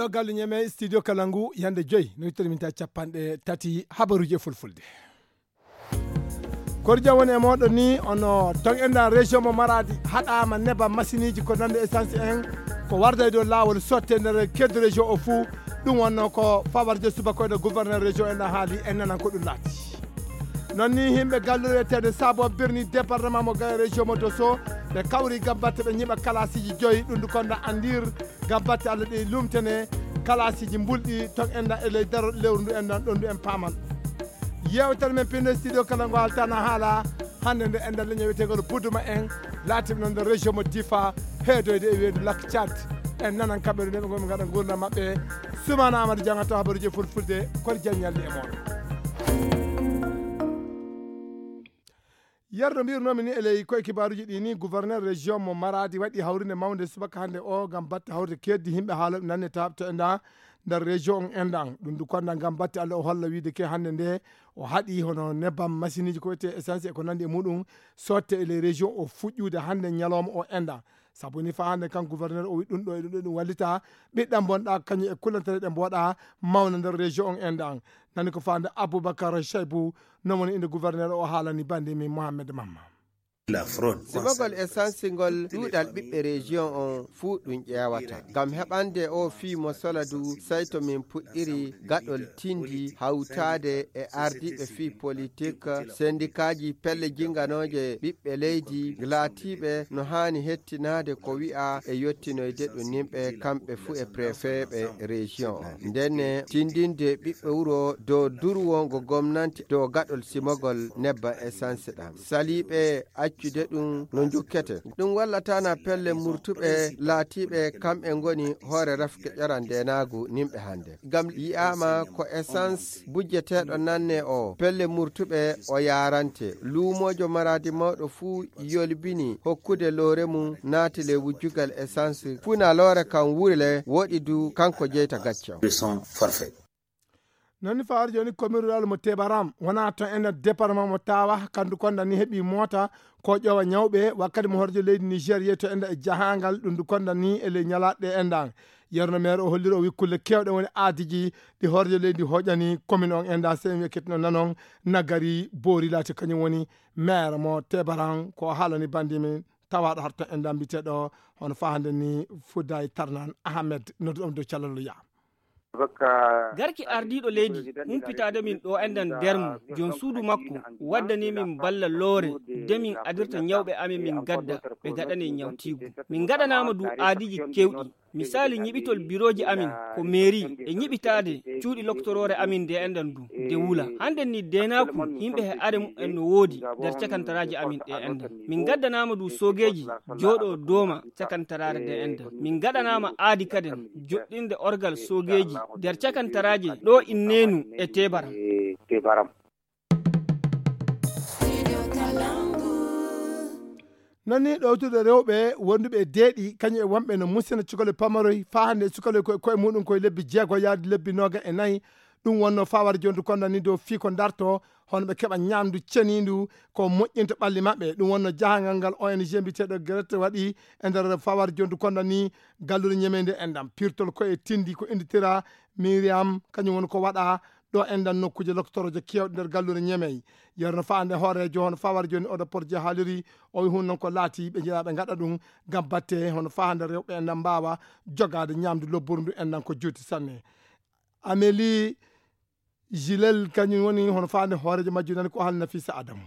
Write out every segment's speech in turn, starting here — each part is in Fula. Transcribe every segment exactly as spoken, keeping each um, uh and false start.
Ɗo galle ñeme studio kala ngu yande joyi no ittani min ta capanɗe tati habaruji e fulfulde. Kordian woni e moɗon ni ono ton enda région mo maradi haɗama neba masiniji ko nande essence en ko warda e dow lawol sotte nder kedde région o fuu. Ɗum wonno ko fawarde subaka ene gouverneur région en haali en nanan ko ɗum laati. Non ni himɓe galluɗo wiyetede sabo birni département mo gaye région mo doso ɓe kawri gam batte ɓe ñiɓa kalasiji joyi ɗum du konda andir gam batte allah ɗi lumtene kalasiji mbulɗi ton enda e ley daro lewru ndu endan ɗon ndu en paman. Yewtere men pinno studio kala ngo haltana haala hande nde enda leño wiyetegol buduma en laatiɓe noon nder région mo difa heedoyde e weedu lak tchad. En nanan kamɓe ɗo neɓe gomi gaɗa gurdam maɓɓe. Sumana amadou jangata habaruji fulfulde kono jam ñalli e moɗon. Yerno mbirnomi ni e ley koye kibaruji ɗi ni gouverneur région mo maradi waɗi hawrinde mawde subaka hande o gam batte hawrde keddi himɓe haala nanne tabto e nda nder région on endan ɗum du konda gam batte allah o holla wiide ke hande nde o haɗi hono nebbam masiniji ko wiyete essence e ko nandi e muɗum sotte e ley région o fuɗɗude hande ñalawma o endan. Sabu ni fa hande kan gouverneur o wi ɗum ɗo e ɗum ɗo ɗum wallita ɓiɗɗam bonɗa kañum e kullantere ɗe mboɗa mawna nder région on endan. Nani ko fande aboubacar chaybu non woni inde gouverneur o haalani bandi min mohammed mamma. Simogol essence ngol ɗuuɗal ɓiɓɓe région on fuu ɗum ƴeewata ngam heɓande o fii mo sola du. Sey to min puɗɗiri gaɗol tindi hawtaade e ardiiɓe fii politik sendikaaji pelle jinganooje ɓiɓɓe leydi laatiiɓe no haani hettinaade ko wi'a e yottinoyde ɗum nimɓe kamɓe fuu e préfet ɓe région on ndenne tindinde ɓiɓɓe wuro dow durwo ngo gomnanti dow gaɗol simogol nebba essence ɗam saliiɓe accude ɗum no njukkete. Ɗum wallatana pelle murtuɓe laatiiɓe kamɓe ngoni hoore rafke ƴoran ndenaagu nimɓe hande ngam yi'aama ko essence bujjeteeɗo nanne o pelle murtuɓe o yaarante luumoojo maraadi mawɗo fuu yolbini hokkude loore mum naati le wujjugal essence funa loore kam wurile woɗi du kanko jeyta gacce on. Nani fawaade jooni commune rural mo tebaram wona to enda département mo tawa kandu konda ni heɓi moota ko ƴowa ñawɓe wakkati mo horjo leydi niger yehi to enda e jahangal ɗum du konda ni e ley ñalaɗe endan. Yerno maire o holliri o wi kulle kewɗe woni aadiji ɗi horjo leydi hoƴani commune on enda semi ekkitino nanon nagari boori laati kañum woni maire mo tebaran ko haalani bandi min tawaɗo harto endan mbiteɗo hono fahande ni fuday tarnan ahmed nodduɗom dow callalluya. Garki ardiiɗo leydi humpitaade min ɗo enɗan nder mum joom suudu makko waddani min balla loore de min adirta ñawɓe amin min gadda ɓe gaɗane ñawtiigu. Min ngaɗanaama du aadiiji keewɗi. Misaali ñiɓitol birooji amin ko meeri e ñiɓitaade cuuɗi loktoroore amin nde enɗan du de wula. Hannden ni deenaaku yimɓe he are mumen no woodi nder cakantaraaji amin ɗe enɗan. Min ngaddanaama du soogeeji jooɗo dooma cakantaraare nde enɗan. Min ngaɗanaama aadi kaden joɗɗinde orgal soogeeji nder cakantaraaje ɗo inneenu e tebaram. Nani ɗowtude rewɓe wonduɓe e deeɗi kañum e wonɓe no musina cukalel pamaroy faa hannde e cukalel koye koye muɗum koye lebbi jeego yaade lebbi nooga e nayi. Ɗum wonno fawar jondu konda ni dow fii ko darto hono ɓe keɓa ñamdu ceniindu ko moƴƴinta ɓalli maɓɓe. Ɗum wonno jahangal ngal ong mbiteɗo grete waɗi e nder fawar jondu konda ni gallude ñemeyde enɗam pirtol ko e tindi ko inditira miriam kañum woni ko waɗa ɗo enɗan nokkuuje loktoroje kewɗe nder gallude ñemey. Yerno faande hoorejo hono fawar joni oɗo porje haaliri o wi hun noon ko laati ɓe jeeya ɓe gaɗa ɗum ngam batte hono faande rewɓe enɗan mbawa jogade ñamdu lobburdu enɗan ko juuti sanne. Ameli Gilel kañum woni hono faande hoorejo majju nani ko haalna fisa adamu.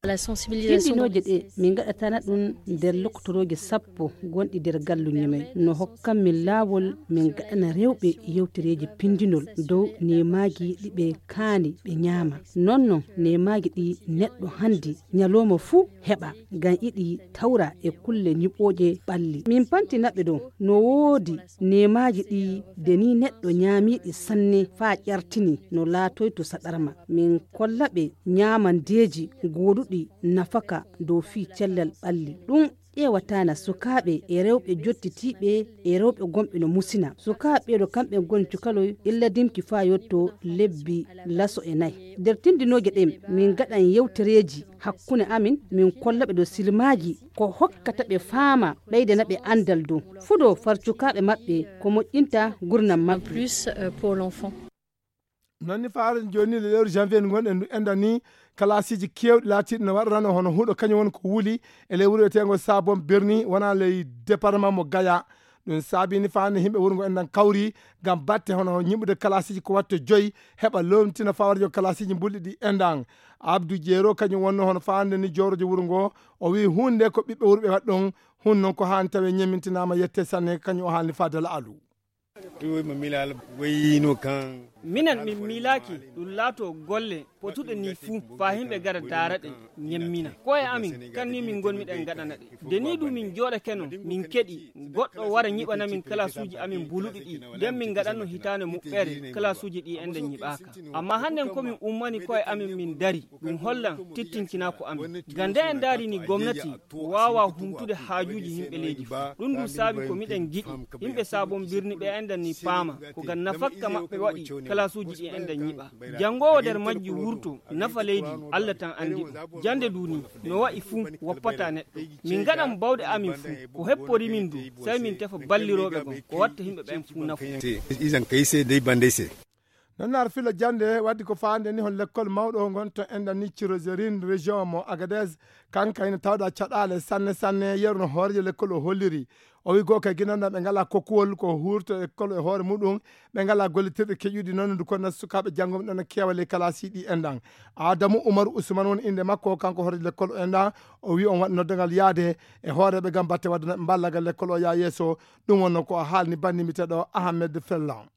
Tindinooje ɗe min ngaɗatana ɗum nder loktorooje sappo gonɗi nder gallu ñemey no hokkan min laawol min ngaɗana rewɓe yewtereeji pindinol dow neemaaji ɗi ɓe kaani ɓe ñaama. Noon noon neemaaji ɗi neɗɗo hannde ñalooma fuu heɓa ngam iɗi tawra e kulle ñiɓooje ɓalli. Min pantinaɓe ɗo no woodi neemaaji ɗi de ni neɗɗo ñaamiiɗi sanne faa ƴartini no laatoyto saɗarma. Min kolla ɓe ñaamandeeji gooduɗi. ɗi nafaka dow fii cellal ɓalli. Ɗum ƴeewataana sukaaɓe e rewɓe jottitiiɓe e rewɓe gonɓe no musina. Sukaaɓe ɓeeɗo kamɓe ngoni cukaloy illa dimki faa yotto lebbi laso e nayi. Nder tindinooje ɗen, min ngaɗan yewtereeji hakkunde amin, min kollaɓe dow silmaaji ko hokkata ɓe faama, ɓeydana ɓe anndal dow fuɗo far cukaaɓe maɓɓe ko moƴƴinta gurnam maɓɓe. Plus euh, pour l'enfant. Non ni faare jooni le lewru janvier ndu gonɗen ndu enɗan ni, kalaasiiji keewɗi laatiiɗi no waɗarano hono huɗo kañum woni ko wuli e ley wuro wiyeteengo Sabon Birni, wona ley département mo Gaya. Ɗum saabi ni faande yimɓe wuro ngo enɗan kawri ngam batte hono ñiɓude kalaasiiji ko watta joyi, heɓa lomtina fawarjo kalaasiiji mbulɗi ɗi enɗan. Abdou Jeero kañum wonno hono faande ni joorojo wuro ngo, o wi huunde nde ko ɓiɓɓe wuro ɓe waɗi ɗon, hun noon ko haan tawe ñemmintinaama yette sanne kañum o haalni faade laalu. Minen min miilaaki ɗum laato golle potuɗe ni fuu faa yimɓe gara daara ɗe ñemmina koye amin. Kan ni min ngonmi ɗen ngaɗana ɗe. Nde ni du min jooɗake non min keɗi goɗɗo wara ñiɓana min kalaasuuji amin buluɗi ɗi, nden min ngaɗanno hitaande moɓɓere kalaasuuji ɗi enɗan ñiɓaaka. Amma hannden ko min ummani koye amin min dari, ɗum hollan tittinkinaaku amin. Ngam nde en ndaari ni gomnati waawaa humtude haajuuji yimɓe leydi fuu. Ɗum du saabi ko miɗen ngiɗi yimɓe Sabon Birni ɓe enɗan ni paama ko ngam nafakka maɓɓe waɗi kalaasuuji ɗi enɗan ñiɓa. Janngoowo nder majji wurto nafa leydi, Allah tan anndi ɗum. Jannde du ni no wa'i fuu woppataa neɗɗo. Min ngaɗan baawɗe amin fuu, ko heppori min du, sey min tefa ballirooɓe gon ko watta yimɓe ɓen fuu nafu. Nannar filo jannde waddi ko faande ni hon lekkol mawɗo ngon to enɗan ni Cirozerin région mo Agadez. Kanka ina tawɗa caɗaale sanne sanne, yeru no hoorejo lekkol o holliri. O wi goo kay ginanɗan ɓe ngala kokkuwol ko huurto e lekkol e hoore muɗum, ɓe ngala gollitirɗe keƴuɗi noon ndu kono sukaaɓe janngo ɗon keewa ley kalaasi ɗi enɗan. Adamu Umaru Usman woni innde makko, kanko hoorejo lekkol o enɗan. O wi on waɗi noddangal yaade e hooreɓe ngam batte wadde ballagol lekkol o yaa yeeso. Ɗum wonno ko o haalni banndi mbiteɗo Ahmed Fellan.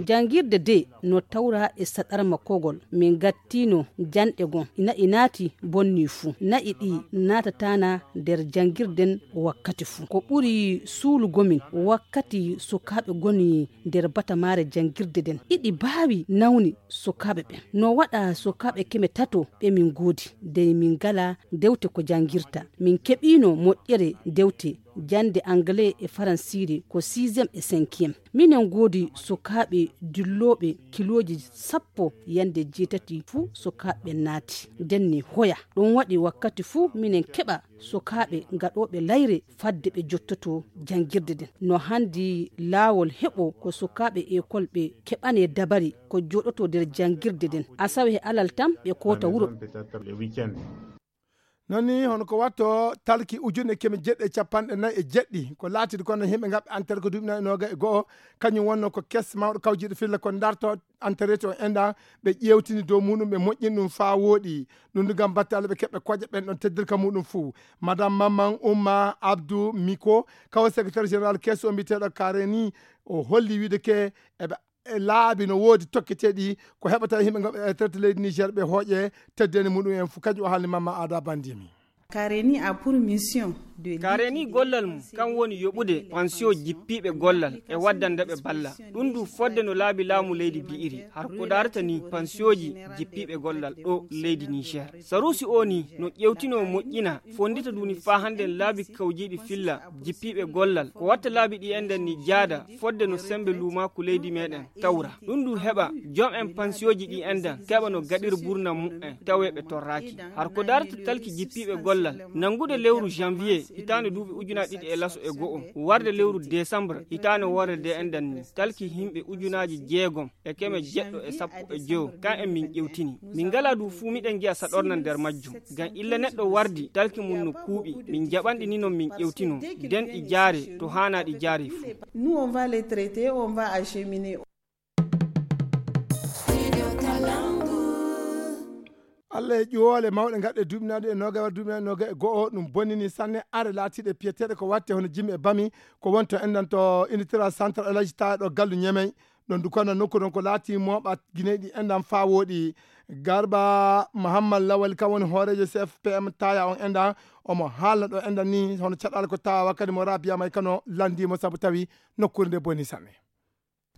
Janngirde de no tawra e saɗarma kogol. Min ngattiino janɗe gon, na'i naati bonni fuu. Na'i ɗi naatatana nder janngirden wakkati fuu. Ko ɓuri suulugo min wakkati sukaaɓe goni nder batamaare janngirde den. Iɗi baawi nawni sukaaɓe ɓen. No waɗa sukaaɓe keme tato ɓe min ngoodi. Dey min ngala dewte ko janngirta. Min keɓiino moƴƴere dewte jannde anglais e faransiire ko sixième e cinquième. Minen ngoodi sukaaɓe dillooɓe kilooji sappo yannde jeetati fuu sukaaɓe naati. Nden ni hoya. Ɗum waɗi wakkati fuu minen keɓa sukaaɓe gaɗooɓe layre fadde ɓe jottoto janngirde nden. No hanndi laawol heɓo ko sukaaɓe ekol ɓe keɓanee dabari ko jooɗotoo nder janngirde nden. Asawe e alal tan ɓe koota wuro. Nani hono ko watto talki ujunne keme jeɗɗi e capanɗe nayi e jeɗɗi ko laatidi kono yimɓe ngaɓɓe antere ko duuɓi nayi noga e go'o. Kañum wonno ko kes mawɗo kawjiɗo filla ko darto antareti on enɗa. Ɓe ƴewtini dow muɗum ɓe moƴƴini ɗum faa wooɗi. Ɗum du ngam batte allah ɓe keɓɓe koƴa ɓen ɗon teddirka muɗum fuu. Madame mamman umma abdou miko kawo secrétaire général kees o mbiyeteɗo kareni, o holli wiide ke eɓe e laabi no woodi tokketeeɗi ko heɓata yimɓe ngam e traité leydi niger ɓe hooƴe teddeni muɗum en fuu kañum o haalni mamma aada bandimi. Kareni a pour mission de kareni gollal mum kan woni yoɓude pension jippiiɓe gollal e waddande ɓe balla. Ɗum du fodde no laabi laamu leydi bi'iri har ko darata ni pensioji jippiiɓe gollal ɗo leydi niger. Sarusi o ni no ƴewtino moƴƴina fondita duni faa hannden laabi kawjiiɗi filla jippiiɓe gollal ko watta laabi ɗi enɗen ni jaada fodde no semmbe luumaaku leydi meɗen tawra. Ɗum du heɓa jom en pansiyoji ɗi enɗan keɓa no gaɗir burna mu'en tawe ɓe torraaki. Har ko darata talki jippiiɓe gollal nanngude lewru janvier hitaande duuɓi ujunaaji ɗiɗi e laso e go'o warde lewru décembre hitaande worre de enɗan ni talki yimɓe ujunaaji jeegom e keme jeɗɗo e sappo e joyo kan en min ƴewtini. Min ngala du fuu miɗen ngi'a saɗorna nder majjum. Ngam illa neɗɗo wardi talki mum no kuuɓi min jaɓanɗi ni non min ƴewtino nden ɗi jaare to haana ɗi jaare fuu. Nous on va les traiter, on va acheminer. Allah e ƴuwoole mawɗe gaɗɗe duuɓinaaɗe e noga war duuɓinaaɗe noga e go'o ɗum bonnini sanne are laatiiɗe piyeteeɗe ko watte hono jimmi e bami ko wonto enɗan to unitira centre alaji tawa ɗo gallu ñemey. Ɗon du kono nokku ɗon ko laati mooɓa guineyɗi enɗan faa wooɗi. Garba mahammad lawal kam woni hooreejo cfpm taya on enɗan omo haalna ɗo enɗan ni hono caɗaala ko tawa wakkati mo rabiyama e kano lanndimo sabu tawi nokkuure nde boni sanne.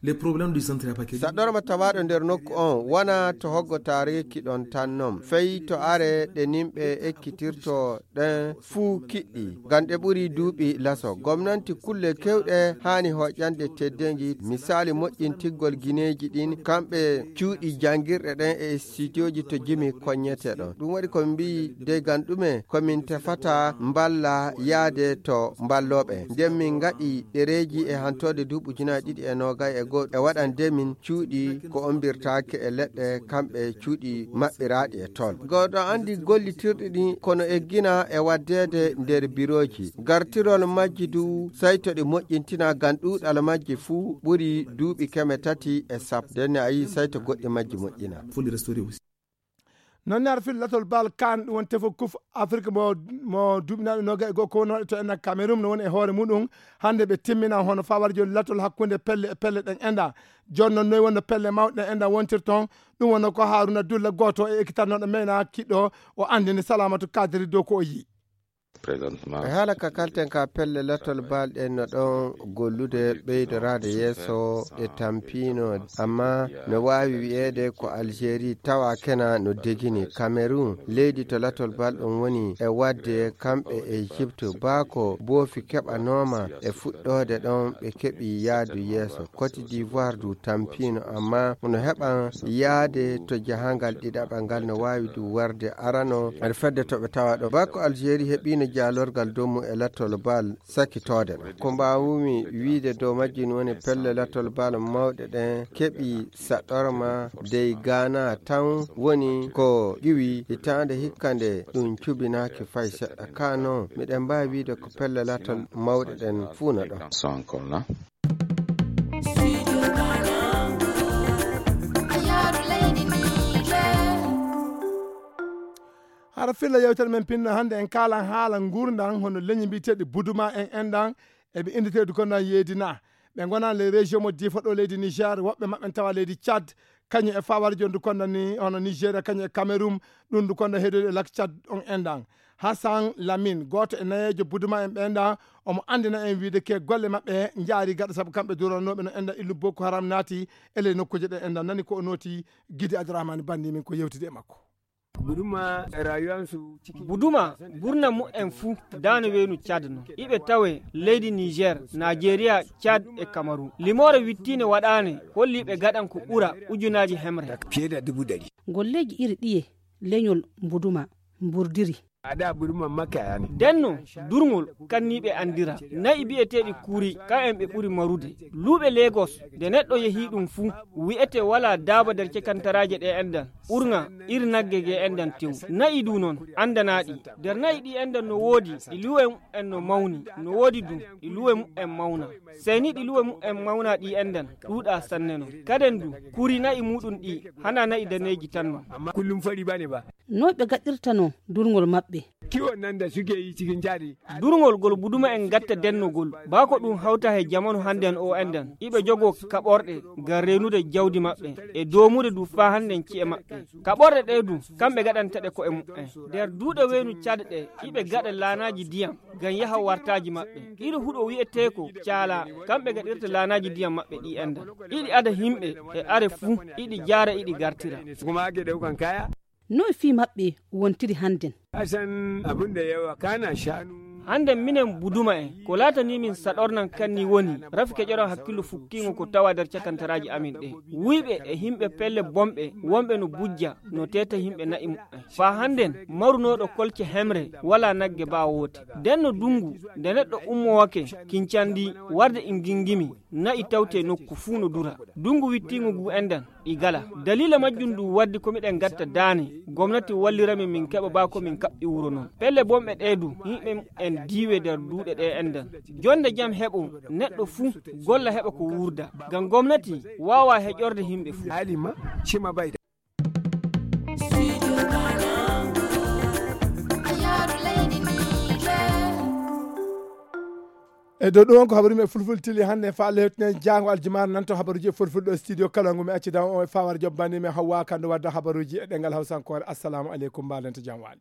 Les problèmes du centre Apakedi. Saɗɗorma tawaaɗo nder nokku on wona to hoggo taariki ɗon tan non. Fey to are ɗe nimɓe ekkitirto ɗen fuu kiɗɗi. Ngam ɗe ɓuri duuɓi laso. Gomnanti kulle kewɗe haani hoƴƴande teddeengi. Misaali moƴƴintiggol gineeji ɗin, kamɓe cuuɗi janngirɗe ɗen e studiooji to jimi koññete ɗon. Ɗum waɗi ko min mbi'i dey gam ɗume ko min tefata mballa yaade to mballooɓe. Nden min ngaɗi ɗereeji e hantoode duuɓi ujunaaji ɗiɗi e noogay e go'o e waɗande min cuuɗi ko ombirtaake e leɗɗe kamɓe cuuɗi maɓɓiraaɗi e tol. Gooto anndi gollitirɗi ɗin kono eggina e waddeede nder birooji. Gartirol majji du sayto ɗi moƴƴintina gam ɗuuɗal majji fuu ɓuri duuɓi keme tati e sappo. Nden a yii sayto goɗɗi majji moƴƴina. Noon ne ar fil latol bal kan ɗum woni tefo kuf Afrik mo mo duuɓinaaɗo noga e goo ko wonooɗe to enna Cameroun no woni e hoore muɗum. Hannde ɓe timmina hono fawarjo latol hakkunde pelle e pelle ɗen enda. Jooni noon noy wonno pelle mawɗe ɗen enda wontir toon? Ɗum wonno ko Haruna Dulla gooto e ekkitannoɗo meyna kiɗɗo o anndini Salamatu Kadiri dow ko o yii. E haala ka kalten ka pelle latol bal ɗen no ɗon gollude ɓeydoraade yeeso ɗe tampino, amma no waawi wi'eede ko Algérie tawa kena no degini Cameroun, leydi to latol bal ɗum woni e wadde kamɓe e Egypte. Baako boofi keɓanooma e fuɗɗoode ɗon ɓe keɓi yaadu yeeso. Côte d'Ivoire du tampino, amma no heɓan yaade to jahangal ɗiɗaɓal ngal no waawi du warde arano. Aɗa fedde to ɓe tawa ɗo. Baako Algérie heɓino jaalorgal dow mum e latol bal sakitoode ɗo. Ko mbaawumi wiide dow majji no woni pelle latol bal mawɗe ɗen keɓi saɗorma dey Ghana tan woni ko ƴuwi hitaande hikka nde ɗum cubinaaki fay seɗɗa. Ka noon, miɗen mbaawi wiide ko pelle latol mawɗe ɗen fuu no ɗon. Hara filla yewtere men pinno hannde en kaalan haala nguurndam hono leñi mbiyeteeɗi Buduma en enɗan eɓe inndeteeɗi ko nan yeedina. Ɓe ngonani les régions mo diifa ɗo leydi Niger, woɓɓe maɓɓe tawa leydi Tchad, kañum e fawarjo ndu konda ni hono Nigeria, kañum e Cameroun, ɗum ndu konda heedoyde e lak Tchad on enɗan. Hassan Lamine, gooto e nayeejo Buduma en ɓe enɗan, omo anndina en wiide ke golle maɓɓe njaari gaɗa sabu kamɓe duranooɓe no enɗan illu Boko Haram naati e ley nokkuuje ɗe enɗan. Nani ko o nooti, Gidi Abdourahmane Bandi min ko yewtide e makko. Buduma rayuwansu ciki. Buduma burna mu'en fuu daano weenu Tchad no. Iɓe tawe leydi Niger, Nigeria, Tchad e Cameroun. Limoore wittiine waɗaane holli ɓe gaɗan ko ɓura ujunaaji hemre. Fiye da dubu ɗari. Golleeji iri ɗiye leñol Buduma mburdiri? Ada Buduma makka yani. Denno durŋol kanniiɓe anndira. Na'i bi'eteeɗi kuuri, kam'en ɓe ɓuri marude. Luuɓe Lagos, nde neɗɗo yehii ɗum fuu, wi'ete walaa daaba nder cekantaraaje ɗe enɗan. Ɓurŋa iri nagge ge enɗan tew. Na'i du non, anndanaaɗi. Nder na'i ɗi enɗan no woodi, ɗi luwe mu'en no mawni. No woodi du, ɗi luwe mu'en mawna. Sey ni ɗi luwe mu'en mawna ɗi enɗan, ɗuuɗa sanne non. Kaden du, kuuri na'i muɗum ɗi, hana na'i daneeji tan non. Amma kullum fari bane ba. No ɓe gaɗirtano durŋol maɓɓe? Kiwon nan da suke yi cikin jari. Durŋol gol Buduma en gatta dennogol, baa ko ɗum hawta he jamanu hannden o enɗan. Iɓe jogoo kaɓorɗe ngam reenude jawdi maɓɓe, e doomude du faa hannden ci'e maɓɓe. Kaɓorɗe ɗe du, kamɓe gaɗanta ɗe ko'e mu'en. Nder duuɗe weenu Tchad ɗe, iɓe gaɗa laanaaji ndiyam, ngam yaha wartaaji maɓɓe. Iri huɗo wi'etee ko Caala, kamɓe gaɗirta laanaaji ndiyam maɓɓe ɗi enɗan. Iɗi ada himɓe, e are fuu, iɗi jaara, iɗi gartira. Kuma ake ɗaukan kaya. Noy fii maɓɓe wontiri hannden? Asan abin da yawa kana shanu. Hannden minen Buduma en, ko laatanii min saɗornan kanni woni, rafi keƴoran hakkillo fukkiingo ko tawa nder cakantaraaji amin ɗe. Wuyɓe e himɓe pelle bonɓe, wonɓe no bujja, no teeta himɓe na'i mu'en. Faa hannden, marunooɗo kolce hemre, walaa nagge baa woote. Nden no dunngu, nde neɗɗo ummowake, kincandi, warde in gingimi, na'i tawte nokku fuu no dura. Dunngu wittiingo ngu enɗan, ɗi gala. Daliila majjum ɗum waddi ko miɗen gatta daane, gomnati wallira min min keɓa baa ko min kaɓɓi wuro non. Pelle bonɓe ɗee du, yimɓe en diiwe nder duuɗe ɗee enɗan. Jonde jam heɓo, neɗɗo fuu golla heɓa ko wuurda. Ngam gomnati waawaa heƴorde yimɓe fuu. Alima, cima bayda. E dow ɗum on ko habaru men fulfulde tili hannde, faa lewtinen jaango aljumaare nan to habaruuji e fulfulde ɗo studio kala ngu mi accidan on e fawar jobbani men Hawwa Kando wadda habaruuji e ɗengal Hawsankoore. Assalamu aleykum, mbaɗen to jam waali.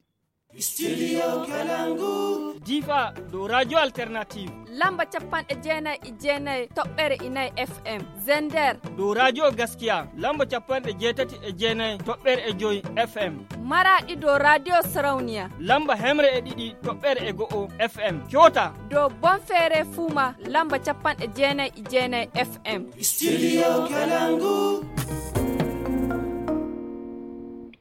Studio Kalangu. Difa dow Radio Alternative. Lamba capanɗe jeenayi e jeenayi toɓɓere inayi F M. Zender. Dow Radio Gaskiya. Lamba capanɗe jeetati e jeenayi toɓɓere e joyi F M. Maraɗi dow Radio Sarauniya. Lamba hemre e ɗiɗi toɓɓere e go'o F M. Kyota. Dow Bonfere Fuma. Lamba capanɗe jeenayi e jeenayi F M. Studio Kalangu.